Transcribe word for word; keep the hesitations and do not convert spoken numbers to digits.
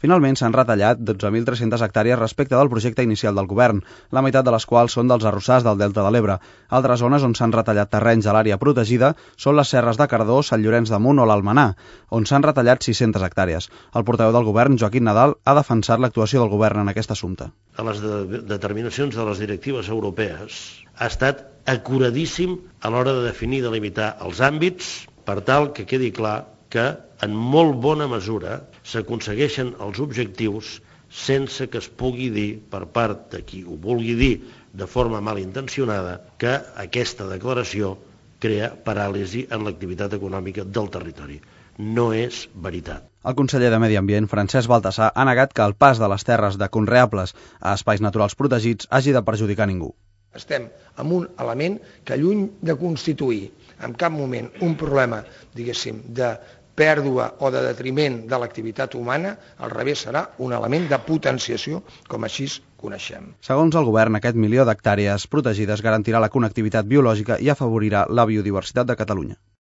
Finalment s'han retallat dotze mil tres-centes hectàrees respecte del projecte inicial del govern, la meitat de les quals són dels arrossars del Delta de l'Ebre. Altres zones on s'han retallat terrenys a l'àrea protegida són les serres de Cardó, Sant Llorenç de Munt o l'Almenar, on s'han retallat sis-centes hectàrees. El portaveu del govern, Joaquim Nadal, ha defensat l'actuació del govern en aquest assumpte. A les de determinacions de les directives europees ha estat acuradíssim a l'hora de definir i delimitar els àmbits per tal que quedi clar que en molt bona mesura s'aconsegueixen els objectius sense que es pugui dir per part de qui ho vulgui dir de forma malintencionada que aquesta declaració crea paràlisi en l'activitat econòmica del territori. No és veritat. El conseller de Medi Ambient, Francesc Baltasar, ha negat que el pas de les terres de conreables a espais naturals protegits hagi de perjudicar ningú. Estem amb un element que, lluny de constituir en cap moment un problema, diguéssim, de pèrdua o de detriment de l'activitat humana, al revés serà un element de potenciació, com així coneixem. Segons el govern, aquest milió d'hectàrees protegides garantirà la connectivitat biològica i afavorirà la biodiversitat de Catalunya.